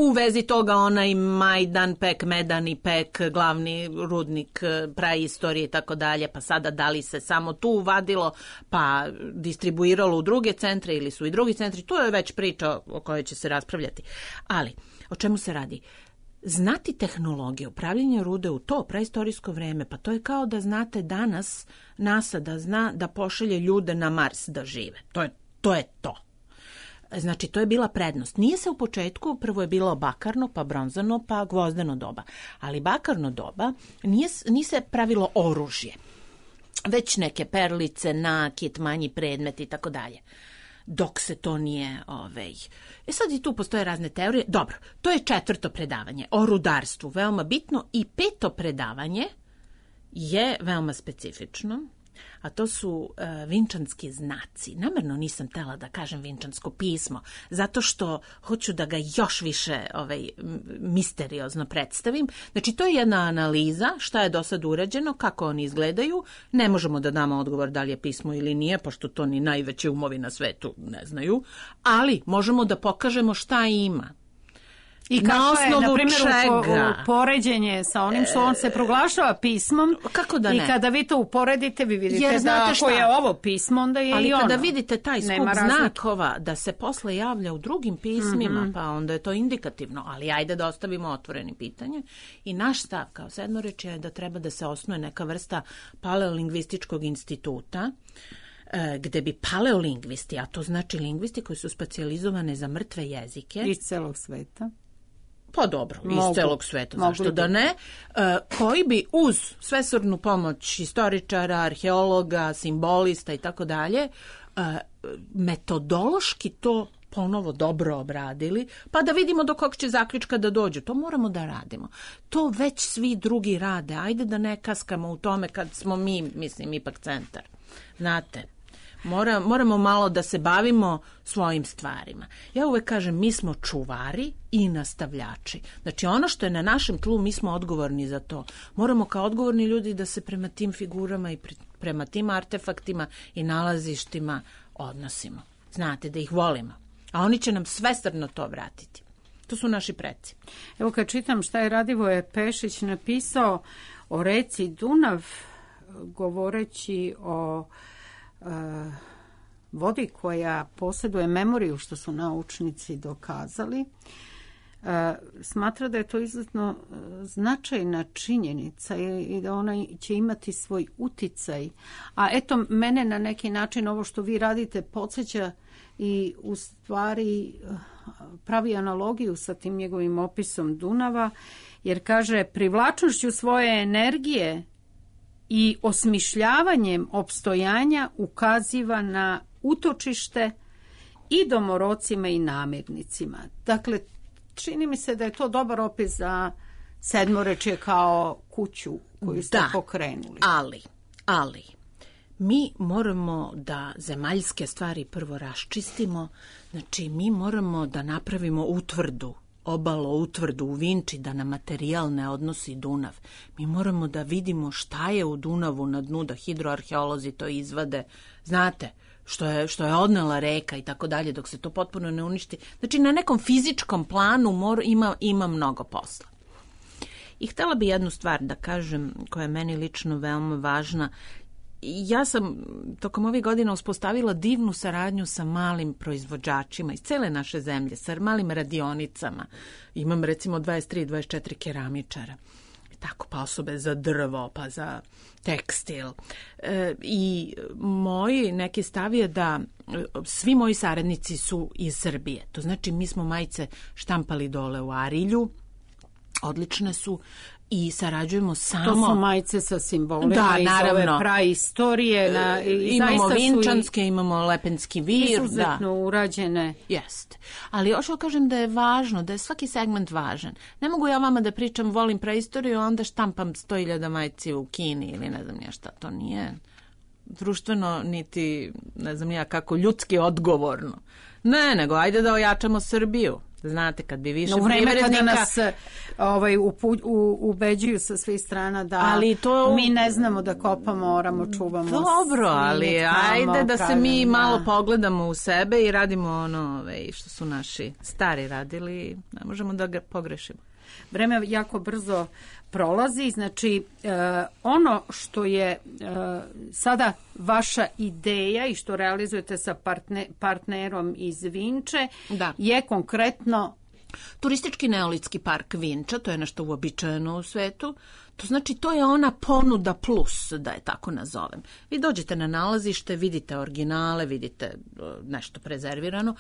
U vezi toga onaj Majdan Pek, Medani Pek, glavni rudnik praistorije i tako dalje, pa sada da li se samo tu vadilo pa distribuiralo u druge centre ili su i drugi centri, to je već priča o kojoj će se raspravljati. Ali, o čemu se radi? Znati tehnologiju, upravljanje rude u to praistorijsko vreme, pa to je kao da znate danas NASA da zna da pošalje ljude na Mars da žive. To je to. Znači, to je bila prednost. Nije se u početku, prvo je bilo bakarno, pa bronzano, pa gvozdeno doba. Ali bakarno doba nije se pravilo oružje, već neke perlice, nakit, manji predmet i tako dalje. Dok se to nije... sad i tu postoje razne teorije. Dobro, to je 4. predavanje o rudarstvu, veoma bitno. I 5. predavanje je veoma specifično. A to su vinčanski znaci. Namerno nisam htela da kažem vinčansko pismo, zato što hoću da ga još više misteriozno predstavim. Znači, to je jedna analiza šta je do sad urađeno, kako oni izgledaju. Ne možemo da damo odgovor da li je pismo ili nije, pošto to ni najveći umovi na svetu ne znaju, ali možemo da pokažemo šta ima. I kako je, na primjer, poređenje sa onim što on se proglašava pismom. Kako da ne? I kada vi to uporedite, vi vidite da ako je ovo pismo, onda je i ono. Ali kada vidite taj skup znakova da se posle javlja u drugim pismima, pa onda je to indikativno. Ali ajde da ostavimo otvoreni pitanje. I naš stav kao sedmorečje je da treba da se osnuje neka vrsta paleolingvističkog instituta, gde bi paleolingvisti, a to znači lingvisti koji su specijalizovane za mrtve jezike. Iz celog sveta. Pa dobro, iz celog sveta, zašto da ne, koji bi uz svesrdnu pomoć historičara, arheologa, simbolista i tako dalje, metodološki to ponovo dobro obradili, pa da vidimo do kog će zaključka da dođu. To moramo da radimo. To već svi drugi rade. Ajde da ne kaskamo u tome kad smo mi, mislim, ipak centar. Znate, moramo malo da se bavimo svojim stvarima. Ja uvek kažem, mi smo čuvari i nastavljači. Znači, ono što je na našem tlu, mi smo odgovorni za to. Moramo kao odgovorni ljudi da se prema tim figurama i prema tim artefaktima i nalazištima odnosimo. Znate, da ih volimo. A oni će nam svesrdno to vratiti. To su naši preci. Evo kad čitam šta je Radivoje Pešić napisao o reci Dunav, govoreći o vodi koja posjeduje memoriju, što su naučnici dokazali, smatra da je to izuzetno značajna činjenica i da ona će imati svoj uticaj. A eto, mene na neki način ovo što vi radite podsjeća i u stvari pravi analogiju sa tim njegovim opisom Dunava, jer kaže, privlačnošću svoje energije i osmišljavanjem opstojanja ukaziva na utočište i domorocima i namirnicima. Dakle, čini mi se da je to dobar opis za sedmorečje kao kuću koju ste pokrenuli. Ali, mi moramo da zemaljske stvari prvo raščistimo, znači mi moramo da napravimo utvrdu, utvrdu u Vinči, da nam materijal ne odnosi Dunav. Mi moramo da vidimo šta je u Dunavu na dnu, da hidroarheolozi to izvade. Znate, što je odnela reka i tako dalje, dok se to potpuno ne uništi. Znači, na nekom fizičkom planu ima mnogo posla. I htjela bi jednu stvar da kažem, koja je meni lično veoma važna. Ja sam tokom ovih godina uspostavila divnu saradnju sa malim proizvođačima iz cele naše zemlje, sa malim radionicama. Imam recimo 23-24 keramičara. Tako, pa osobe za drvo, pa za tekstil. I moj neki stav je da svi moji saradnici su iz Srbije. To znači, mi smo majice štampali dole u Arilju, odlične su, i sarađujemo samo... To su majice sa simbolima da, iz naravno. ove praistorije. Imamo vinčanske, imamo lepenski vir. Izuzetno urađene. Jest. Ali još kažem da je važno, da je svaki segment važan. Ne mogu ja vama da pričam volim praistoriju, onda štampam 100.000 majici u Kini ili ne znam ja šta. To nije društveno, niti ne znam ja kako ljudski odgovorno. Ne, nego ajde da ojačamo Srbiju. Znate, kad bi više privrednika... U vreme kada nas ubeđuju sa svih strana da mi ne znamo da kopamo, oramo, čuvamo. Dobro, ali ajde da se mi malo pogledamo u sebe i radimo ono što su naši stari radili. Ne možemo da ga pogrešimo. Vreme jako brzo prolazi, znači ono što je sada vaša ideja i što realizujete sa partnerom iz Vinče je konkretno... Turistički neolitski park Vinča, to je nešto uobičajeno u svetu. To znači to je ona ponuda plus, da je tako nazovem. Vi dođete na nalazište, vidite originale, vidite nešto prezervirano,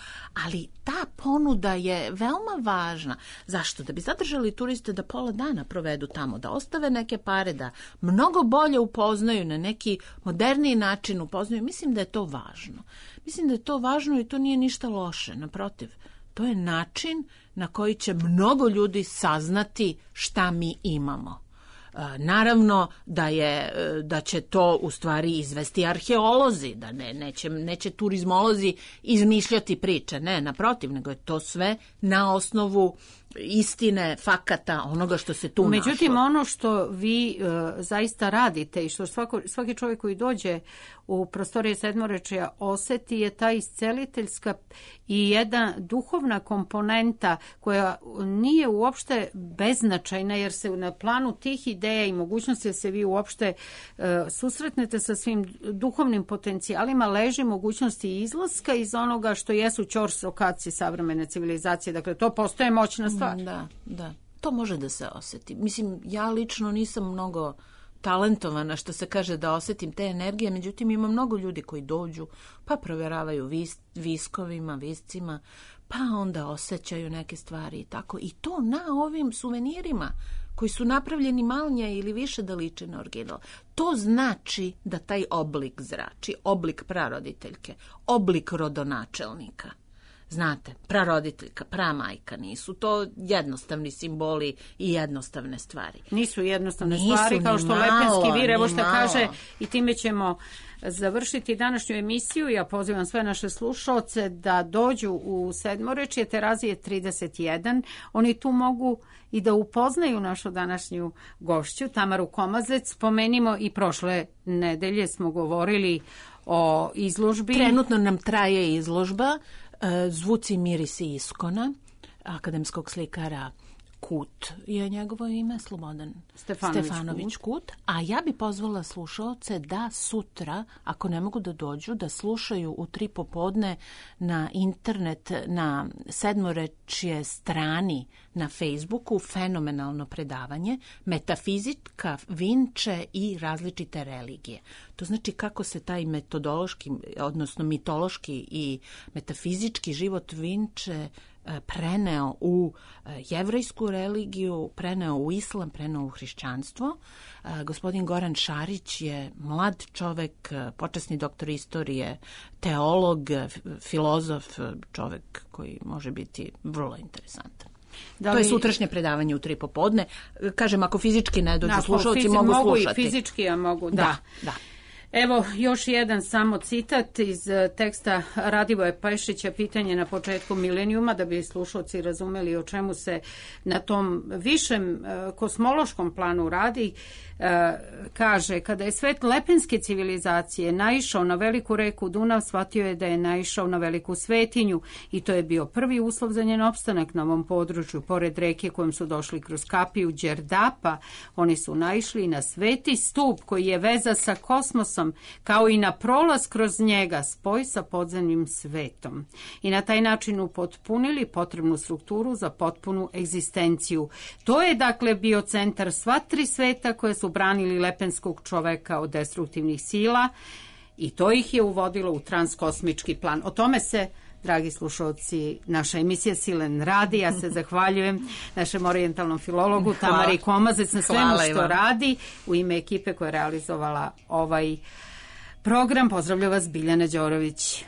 ali ta ponuda je veoma važna. Zašto? Da bi zadržali turiste da pola dana provedu tamo, da ostave neke pare, da mnogo bolje upoznaju, na neki moderniji način upoznaju. Mislim da je to važno. Mislim da je to važno i to nije ništa loše, naprotiv. To je način na koji će mnogo ljudi saznati šta mi imamo. Naravno da će to u stvari izvesti arheolozi, da neće turizmolozi izmišljati priče, ne, naprotiv, nego je to sve na osnovu istine, fakata, onoga što se tu našlo. Međutim, ono što vi zaista radite i što svaki čovjek koji dođe u prostorije Sedmorečja oseti je ta isceliteljska i jedna duhovna komponenta koja nije uopšte beznačajna, jer se na planu tih ideja i mogućnosti da se vi uopšte susretnete sa svim duhovnim potencijalima leži mogućnosti izlaska iz onoga što jesu ćorsokaci savremene civilizacije. Dakle, to postoje moćna stvar. Da. To može da se osjeti. Mislim, ja lično nisam mnogo talentovana, što se kaže, da osjetim te energije, međutim ima mnogo ljudi koji dođu, pa provjeravaju viskovima, viscima, pa onda osjećaju neke stvari i tako. I to na ovim suvenirima koji su napravljeni manje ili više da liče na original. To znači da taj oblik zrači, oblik praroditeljke, oblik rodonačelnika. Znate, praroditeljka, pramajka, nisu to jednostavni simboli i jednostavne stvari. Nisu jednostavne stvari, kao što lepenski vir, evo što kaže, i time ćemo završiti današnju emisiju. Ja pozivam sve naše slušaoce da dođu u Sedmorečje, Terazije 31. Oni tu mogu i da upoznaju našu današnju gošću, Tamaru Komazec. Spomenimo i prošle nedelje smo govorili o izložbi. Trenutno nam traje izložba Zvuci, mirisi iskona, akademskog slikara Kut je njegovo ime, Slobodan Stefanović Kut. A ja bi pozvala slušaoce da sutra, ako ne mogu da dođu, da slušaju u 3 popodne na internet, na Sedmorečje strani na Facebooku, fenomenalno predavanje Metafizika Vinče i različite religije. To znači kako se taj metodološki, odnosno mitološki i metafizički život Vinče preneo u jevrejsku religiju, preneo u islam, preneo u hrišćanstvo. Gospodin Goran Šarić je mlad čovek, počasni doktor istorije, teolog, filozof, čovek koji može biti vrlo interesantan. To je sutrašnje predavanje u 3 popodne. Kažem, ako fizički ne dođu slušalci, mogu slušati. Mogu i fizički, ja mogu, da. Evo, još jedan samo citat iz teksta Radivoja Pešića, Pitanje na početku milenijuma, da bi slušalci razumeli o čemu se na tom višem kosmološkom planu radi. Kaže, kada je svet lepenske civilizacije naišao na veliku reku Dunav, shvatio je da je naišao na veliku svetinju i to je bio prvi uslov za njen opstanak na ovom području. Pored reke kojom su došli kroz kapiju Đerdapa, oni su naišli na sveti stup koji je veza sa kosmosom, kao i na prolaz kroz njega, spoj sa podzemnim svetom. I na taj način upotpunili potrebnu strukturu za potpunu egzistenciju. To je dakle bio centar sva 3 sveta koje su branili lepenskog čoveka od destruktivnih sila i to ih je uvodilo u transkosmički plan. O tome se dragi slušalci, naša emisija Silen radi. Ja se zahvaljujem našem orijentalnom filologu Tamari Komazec na svemu što radi. U ime ekipe koja je realizovala ovaj program pozdravlja vas Biljana Đorović.